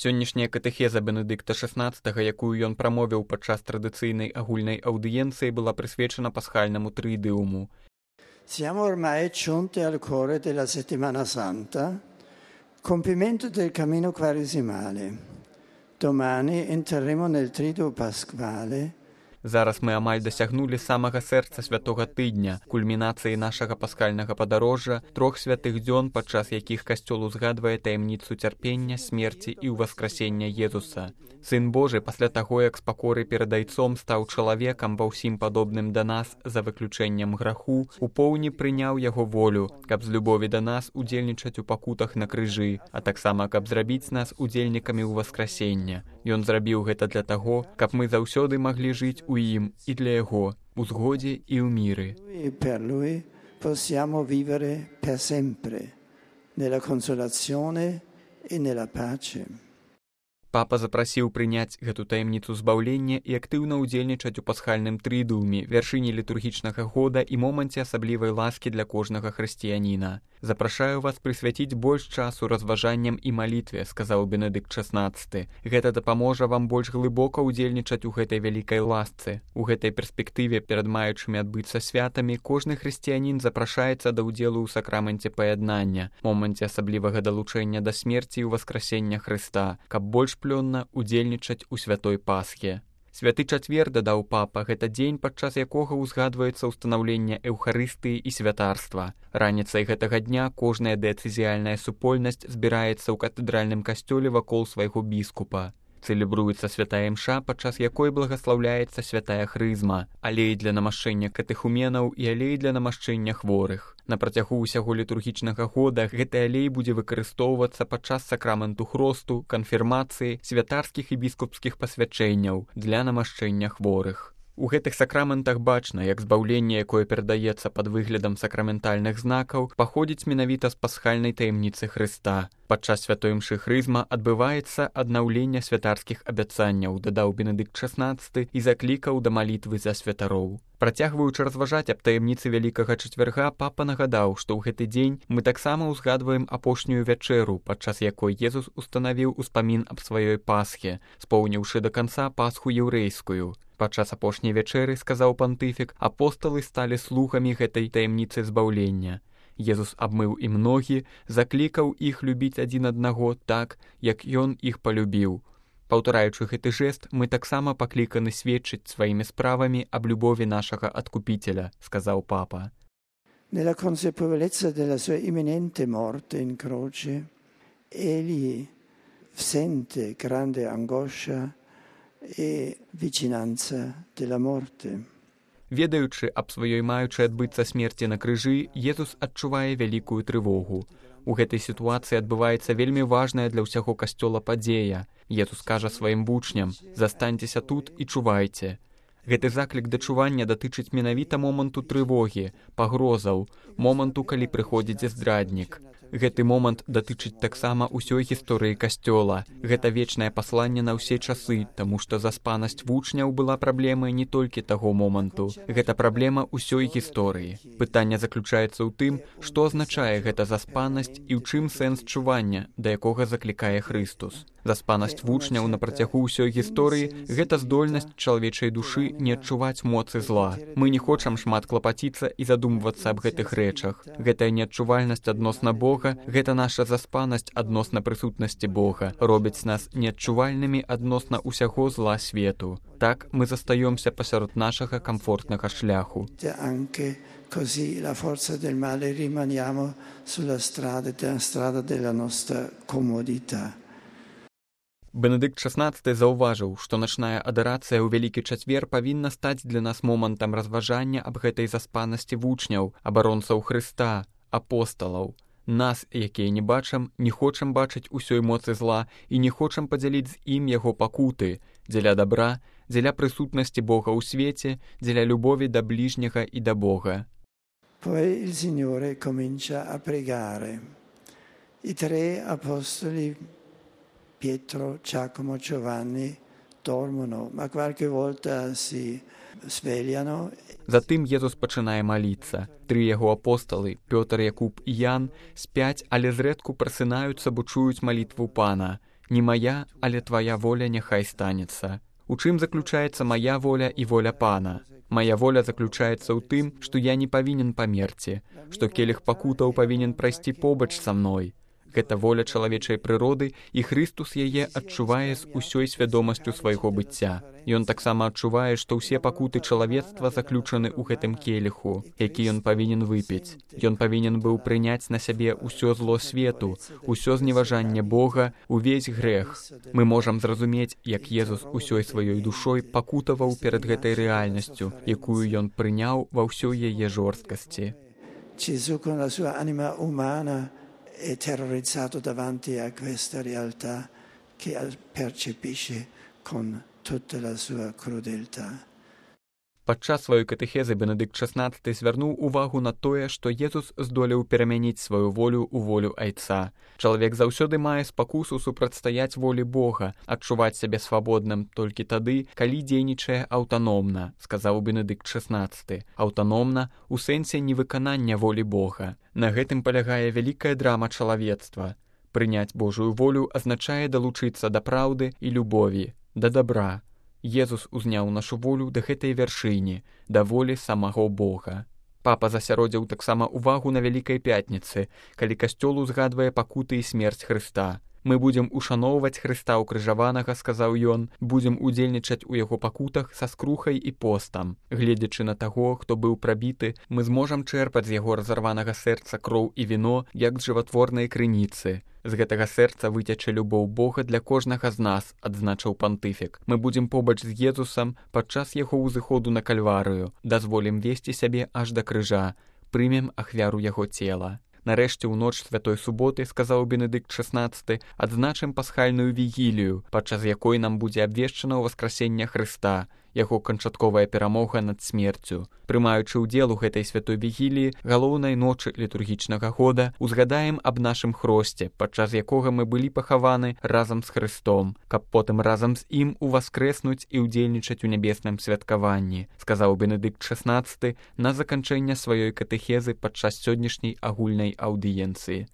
Сённяшняя катэхеза Бенедыкта XVI, якую ён прамовіў падчас традыцыйнай агульнай аўдыенцыі, была прысвечана пасхальнаму трыідыуму. Siamo ormai giunti al cuore della Settimana Santa, compimento del cammino quaresimale. Domani entreremo nel Triduo Pasquale. Зараз мы амаль дасягнулі самага сэрца святога тыдня, кульмінацыі нашага пасхальнага падарожжа, 3 святых дзён, падчас якіх касцёл узгадвае таямніцу цярпення, смерці і ўваскрасення Езуса. Сын Божы пасля таго, як з пакоры перад Айцом стаў чалавекам ва ўсім падобным да нас за выключэннем граху, у поўні прыняў яго волю, каб з любові да нас удзельнічаць у пакутах на крыжы, а таксама каб зрабіць нас удзельнікамі ўваскрасення. Ён зрабіў гэта для таго, каб мы заўсёды маглі жыць у ім і для яго, у згодзе і ў міры. Per lui possiamo vivere per sempre, nella consolazione e nella pace. Папа запрасіў прыняць гэту таямніцу збаўлення і актыўна ўдзельнічаць у пасхальным трыідыуме, вяршыні літургічнага года і моманце асаблівай ласкі для кожнага хрысціяніна. Запрашаю вас прысвяціць больш часу разважанням і малітве, сказаў Бенедыкт XVI. Гэта дапаможа вам больш глыбока ўдзельнічаць у гэтай вялікай ласцы. У гэтай перспектыве перад маючымі адбыцца святамі кожны хрысціянін запрашаецца да ўдзелу ў сакраменце паяднання, моманце асаблівага далучэння да смерці і ўваскрасення Хрыста, каб больш плённа удзельнічаць у святой Пасхе. Святы чацвер, дадаў папа, гэта дзень, падчас якога ўзгадваецца ўстанаўленне эўхарыстыі і святарства. Раніцай гэтага дня кожная дыяцэзіяльная супольнасць збіраецца ў катэдральным касцёле вакол свайго біскупа. Цэлебруецца святая імша, падчас якой благаслаўляецца святая хрызма, алей для намашчэння катэхуменаў і алей для намашчэння хворых. На працягу ўсяго літургічнага года гэты алей будзе выкарыстоўвацца падчас сакраменту хросту, канфірмацыі, святарскіх і біскупскіх пасвячэнняў для намашчэння хворых. У гэтых сакраментах бачна, як збаўленне, якое перадаецца пад выглядам сакраментальных знакаў, паходзіць менавіта з пасхальнай таямніцы Хрыста. Падчас святой імшы хрызма адбываецца аднаўленне святарскіх абяцанняў, дадаў Бенедыкт XVI і заклікаў да малітвы за святароў. Працягваючы разважаць аб таямніцы Вялікага чацвярга, папа нагадаў, што ў гэты дзень мы таксама ўзгадваем апошнюю вячэру, падчас якой Езус устанавіў успамін аб сваёй Пасхе, споўніўшы да канца Пасху яўрэйскую. Падчас апошняй вячэры, сказаў пантыфік, апосталы сталі слугамі гэтай таямніцы збаўлення. Езус абмыў ім ногі, заклікаў іх любіць адзін аднаго так, як ён іх палюбіў. Паўтараючы гэты жэст, мы таксама пакліканы сведчыць сваімі справамі аб любові нашага адкупіцеля, сказаў папа. Nella consapevolezza della sua imminente morte in croce, egli sente grande angoscia e vicinanza della morte. Ведаючы аб сваёй маючай адбыцца смерці на крыжы, Езус адчувае вялікую трывогу. У гэтай сітуацыі адбываецца вельмі важная для ўсяго касцёла падзея. Езус кажа сваім вучням: «Застаньцеся тут і чувайце». Гэты заклік да чування датычыць менавіта моманту трывогі, пагрозаў, моманту, калі прыходзіць здраднік. Гэты момант датычыць таксама ўсёй гісторыі касцёла. Гэта вечнае пасланне на ўсе часы, таму што заспанасць вучняў была праблемай не толькі таго моманту. Гэта праблема ўсёй гісторыі. Пытанне заключаецца ў тым, што азначае гэта заспанасць і ў чым сэнс чування, да якога заклікае Хрыстус. Заспанасць вучняў на працягу ўсёй гісторыі – гэта здольнасць чалавечай душы не адчуваць моцы зла. Мы не хочам шмат клапаціцца і задумвацца аб гэтых рэчах. Гэтая неадчувальнасць адносна Бога, гэта наша заспанасць адносна прысутнасці Бога, робіць нас неадчувальнымі адносна ўсяго зла свету. Так мы застаёмся пасярод нашага камфортнага шляху. Così la forza del male rimaniamo sulla strada della nostra comodità. Бенедыкт XVI заўважыў, што начная адарацыя ў Вялікі чацвер павінна стаць для нас момантам разважання аб гэтай заспанасці вучняў, абаронцаў Хрыста, апосталаў. Нас, якія не бачым, не хочам бачыць усёй моцы зла і не хочам падзяліць з ім яго пакуты, дзеля дабра, дзеля прысутнасці Бога ў свеце, дзеля любові да бліжняга і да Бога. Poi il Signore comincia a pregare. I 3 apostoli Pietro, Giacomo, Giovanni dormono, ma qualche volta si svegliano. Затым Езус пачынае маліцца. 3 яго апосталы, Пётр, Якуб і Ян, спяць, але зрэдку прасынаюцца, бо чуюць малітву Пана. Не мая, але твая воля няхай станецца. У чым заключаецца мая воля і воля Пана? Мая воля заключаецца ў тым, што я не павінен памерці, што келіх пакутаў павінен прайсці побач са мной. Гэта воля чалавечай прыроды, і Хрыстус яе адчувае з усёй свядомасцю свайго быцця. Ён таксама адчувае, што ўсе пакуты чалавецтва заключаны ў гэтым келіху, які ён павінен выпіць. Ён павінен быў прыняць на сябе ўсё зло свету, усё зневажанне Бога, увесь грэх. Мы можам зразумець, як Езус усёй сваёй душой пакутаваў перад гэтай рэальнасцю, якую ён прыняў ва ўсёй яе жорсткасці. È terrorizzato davanti a questa realtà che percepisce con tutta la sua crudeltà. Падчас сваёй катэхезы Бенедыкт XVI звярнуў увагу на тое, што Езус здолеў перамяніць сваю волю ў волю Айца. Чалавек заўсёды мае спакусу супрацьстаяць волі Бога, адчуваць сябе свабодным толькі тады, калі дзейнічае аўтаномна, сказаў Бенедыкт XVI. Аўтаномна ў сэнсе невыканання волі Бога. На гэтым палягае вялікая драма чалавецтва. Прыняць Божую волю азначае далучыцца да праўды і любові, да дабра. Езус узняў нашу волю да гэтай вяршыні, да волі самого Бога. Папа засяродзіў таксама увагу на Вялікай Пятніцы, калі касцёл узгадвае пакуты і смерць Хрыста. Мы будзем ушаноўваць Хрыста ўкрыжаванага, сказаў ён, будзем удзельнічаць у яго пакутах са скрухай і постам. Гледзячы на таго, хто быў прабіты, мы зможам чэрпаць з яго разарванага сэрца кроў і віно, як з жыватворнай крыніцы. З гэтага сэрца выцячэ любоў Бога для кожнага з нас, адзначыў пантыфік. Мы будзем побач з Езусам падчас яго ўзыходу на Кальварыю, дазволім весці сябе аж да крыжа, прымем ахвяру яго цела. Нарэшце, у ноч святой суботы, сказаў Бенедыкт XVI, адзначым пасхальную вігілію, падчас якой нам будзе абвешчана ўваскрасенне Хрыста, яго канчатковая перамога над смерцю. Прымаючы ўдзел у гэтай святой вігіліі, галоўнай ночы літургічнага года, узгадаем аб нашым хросце, падчас якога мы былі пахаваны разам з Хрыстом, каб потым разам з ім уваскрэснуць і ўдзельнічаць у нябесным святкаванні, сказаў Бенедыкт XVI на заканчэнне сваёй катэхезы падчас сённяшняй агульнай аўдыенцыі.